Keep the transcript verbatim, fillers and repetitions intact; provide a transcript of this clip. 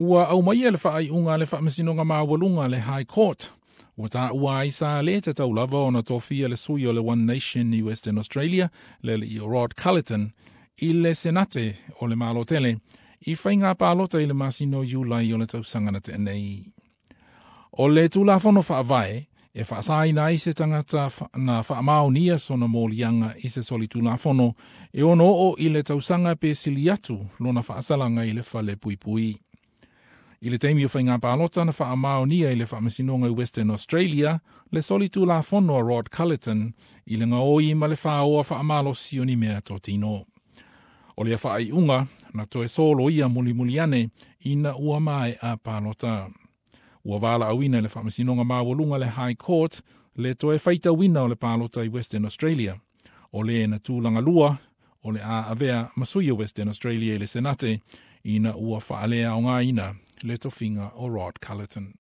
Ua aumaia le faaiuga a le Faamasinoga Maualuga le High Court. Ua taua ai sa le tatau lava ona tofia le sui o le One Nation i Western Australia, le alii o Rod Culleton, i le Senate o le Malo tele, i faiga palota i le masina o Iulai o le tausaga na tea nei. O le Tulafono Faavae, e faasaina ai se tagata na faamaonia sona moliaga i se solitulafono e ono oo i le tausaga pe sili atu lona faasalaga i le fale puipui. I le taimi o faiga palota na faamaonia i le Faamasinoga i Western Australia le solitulafono a Rod Culleton i le gaoi ma le faoa faamalosi o ni meatotino. O lea faaiuga na toe soloia mulimuli ane ina ua maea palota. Ua valaauina e le Faamasinoga Maualuga le High Court le toe faitauina o le palota i Western Australia. O le na tulaga lua o le a avea ma sui o Western Australia i le Senate ina ua faaleaogaina le tofiga o Rod Culleton.